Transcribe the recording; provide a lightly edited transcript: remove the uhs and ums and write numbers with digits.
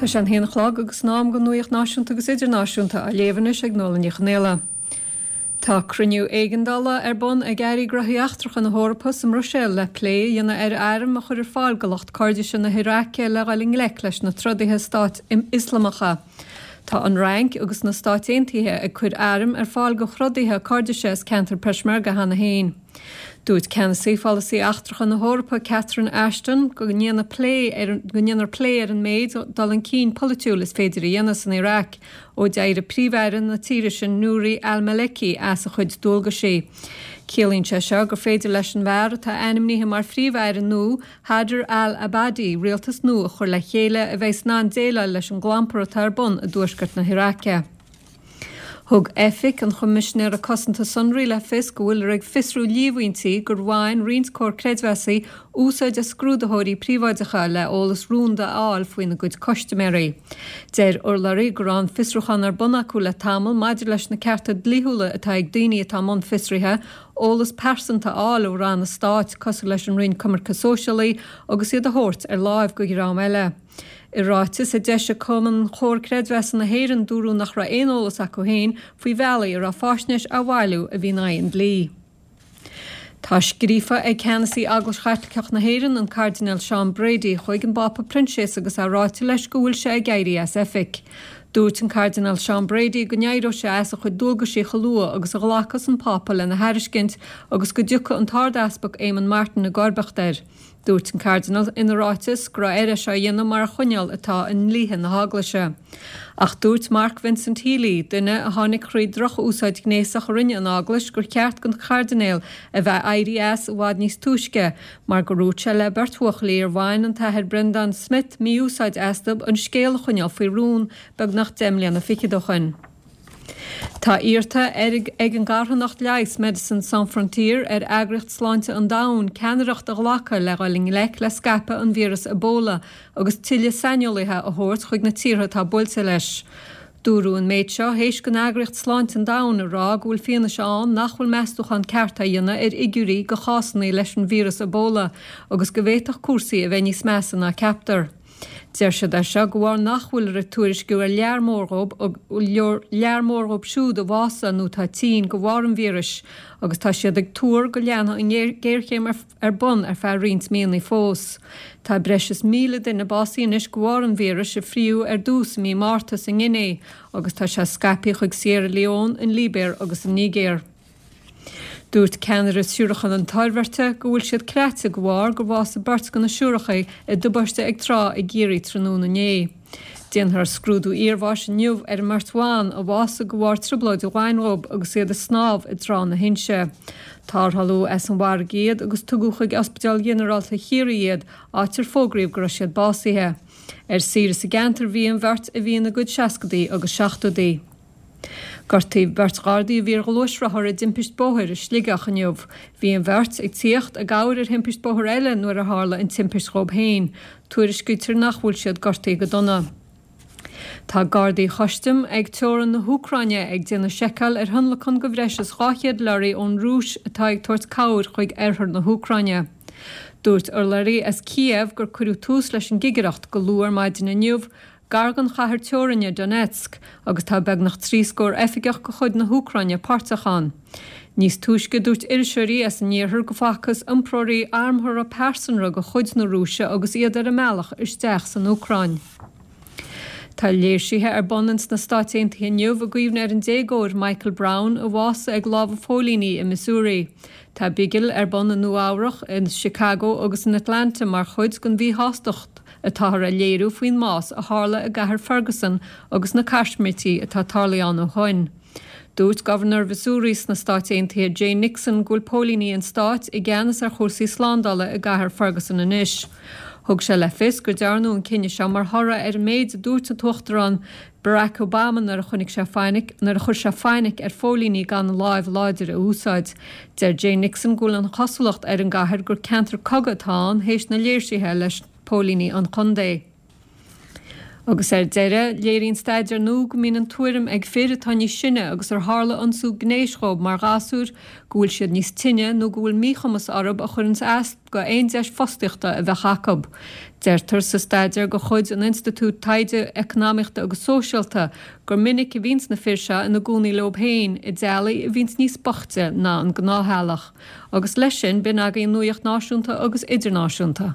Tá sé an haon a chlog agus in am don nuaíocht náisiúnta agus idirnáisiúnta á léamh anois ag Nuala Ní Chonaola. Tá cruinniú éigeandála ar bun ag Airí Gnóthaí Eachtracha na hEorpa sa mBruiséil le plé a dhéanamh ar airm a chur ar fáil do lucht Coirdise na hIaráice le dhul i ngleic leis na trodaithe Stáit Ioslamacha. Tá an Fhrainc agus na Stáit Aontaithe ag cur airm ar fáil do throdaithe Coirdise as ceantar Peshmerga cheana féin. Dúirt Ceannasaí Pholasaí Eachtracha na hEorpa Catherine Ashton go ndéanfar plé ar go ndéanfar plé ar an méid dul chun cinn polaitiúil is féidir a dhéanamh san Iaráic ó d'éirigh Príomh-Aire na tíre sin Nouri al-Maliki as a chuid dualgaisí. Ciallaíonn sé seo gur féidir leis an bhfear atá ainmnithe mar Phríomh-Aire nua, Haider al-Abadi, rialtas nua a chur le chéile a bheidh in ann déileáil leis an gclampar atá ar bun i dtuaisceart na hIaráice. Thug Oifig an Choimisinéara Cosanta Sonraí le fios go bhfuiltear ag fiosrú líomhaintí gur bhain roinnt comhar creidmheasaí úsáid as scrúdaitheoirí príobháideacha le eolas rúnda a fháil faoina gcuid custaiméirí. Deir urlabhraí go raibh an fiosrúchán ar bun acu le tamall maidir leis na cearta dlíthiúla atá ag daoine atá i mbun fiosraithe eolas pearsanta a fháil ó ranna stáit cosúil leis an Roinn Coimirce Sóisialaí agus iad a thabhairt ar láimh go dhream eile. I ráiteas a d'eisigh Cumann Chomhar Creidmheasa na hÉireann dúradh nach raibh aon eolas acu féin faoi bhealaí a raibh faisnéis á bhailiú a bhí in aghaidh an dlí. Tá scríofa ag Ceannasaí Eaglais Chaitliceach na hÉireann, an Cairdinéal Seán Brady, chuig an bPápa Proinsias agus é ráite leis go bhfuil sé ag éirí as oifig. Dúirt an Cairdinéal Seán Brady go n-éireodh sé as a chuid dualgaisí chomh luath agus a ghlacfas an Pápa lena thairiscint agus go dtiocfadh an tArd-Easpag Éamon Martin i gcomharbacht air. Dúirt an Cairdinéal ina ráiteas go raibh air é seo a dhéanamh mar choinníoll atá i ndlíthe na hEaglaise. Ach dúirt Mark Vincent Healy, duine a tháinig thríd droch-úsáid ghnéasach a rinne an Eaglais, gur cheart don Chairdinéal a bheith éirí as i bhfad níos túisce mar gur dhúirt sé le beirt bhuachaillí ar bhain an tAthair Brendan Smyth mí-úsáid astu an scéal a choinneáil faoi rún beagnach 10 mbliana fichead ó shoin. Tá iarrta ar ag an gcarthanacht leighis Médecins Sans Frontières ar Eagraíocht Sláinte an Domhain ceannaireacht a ghlacadh le dhul i ngleic le scaipeadh an víreas Ebola agus tuilleadh saineolaithe a thabhairt chuig na tíortha atá buailte leis. Dúradh an méid seo théis don Eagraíocht Sláinte an Domhain a rá go bhfuil fianaise ann nach bhfuil meastúchán ceart á dhéanamh ar fhigiúirí de chásanna leis an víreas Ebola agus go bhféadfadh cúrsaí a bheith níos measa ná ceaptar. Deir siad é seo de bharr nach bhfuiltear ag tuairisciú ar lear mór dhób lear mór dhób siúd a bhásaigh nó atá tinn de bharr an víris agus tá siad ag tuar go leanfaidh an ghéarchéim ar bun ar feadh roinnt míonna fós. Tá breis is 1,000 duine básaithe anois de bharr an víris a fríothadh ar dtús i mí Márta sa nGuiné agus tá sé scaipthe chuig Sierra Leone, an Libéir agus an Nigéir. Dúirt ceannaire Siúracha na Toirbhirte go bhfuil siad craite de bharr gur bhásaigh beirt de na siúracha i dtubaiste ag trá i gCiarraí tráthnóna inné. Déanfar scrúdú iarbháis inniu ar an mbeirt bhan a bhásaigh de bharr trioblóid ghainmh agus iad ag snámh i dTrá na hInse. Tarrtháladh as an bhfarraige iad agus tugadh chuig Ospidéal Ghinearálta Chiarraí iad, áit ar fógraíodh go raibh siad básaithe. Ar saoire sa gceantar a bhí an bheirt a bhí ina gcuid seascadaí agus seachtóidí. Gortaíodh beirt Ghardaí a bhí ar ghluaisrothar i dtimpist bóthair i Sligeach inniu. Bhí an bheirt ag tíocht i gcabhair ar thimpist bóthair eile nuair a tharla an timpist dhóib féin. Tuairiscítear nach bhfuil siad gortaithe go dona. Tá Gardaí Chustaim ag teorainn na hÚcráine ag déanamh seiceáil ar thionlacan de bhreis is 200 leoraí ón Rúis atá ag tabhairt cabhair chuig oirthear na hÚcráine. Dúirt urlabhraí as Kiev gur cuireadh tús leis an gcigireacht go luath ar maidin inniu gar don chathair teorainne Donetsk, agus tá beagnach 3 scór oifigeach de chuid na hÚcráine páirteach ann. Níos túisce dúirt iriseoirí as an iarthar go bhfacthas iompróirí armtha pearsanra de chuid na Rúise agus iad ar a mbealach isteach san Úcráin. Tá léirsithe ar bun ins na Stáit Aontaithe inniu i gcuimhne ar an déagóir Michael Brown a bhásaigh ag lámha phóilíní i Missouri. Tá bigil ar bun i Nua Eabhrach, in Chicago agus in Atlanta mar chuid den mhíshástacht atáthar a léiriú faoin mbás a tharla i gcathair Ferguson agus na caismirtí atá tarlaithe ann ó shoin. Dúirt Gobharnóir Mhissouri sna Stáit Aontaithe Jay Nixon go bhfuil póilíní an stáit i gceannas ar chúrsaí slándála i gcathair Ferguson anois. Thug sé le fios gur dearnadh an cinneadh seo mar thoradh ar an méid a dúirt an tUachtarán Barack Obama nuair a chonaic sé fainic nuair a chuir sé fainic ar phóilíní gan an láimh láidir a úsáid. Deir Jay Nixon go bhfuil an chosúlacht ar an gcathair gur ceantar cogaidh atá ann théis na léirsithe leis póilíní an chontae. Agus ar deireadh, léiríonn staidéar nua go mbíonn an tuairim ag fir atá níos sine agus ar tharla ionsú gnéis dhóibh mar ghasúir go bhfuil siad níos tinne nó go bhfuil míchumas orthu a chuireanns as go aon deis fostaíochta a bheadh acu. Deirtear sa staidéar de chuid an Institiúid Taighde Eacnamaíochta agus Sóisialta gur minic a bhíonns na fir seo ina gcónaí leob féin i dteaghlaigh a bhíonns níos boichte ná an gnáth-theaghlach. Agus leis sin, b'in agaibh an nuaíocht náisiúnta agus idirnáisiúnta.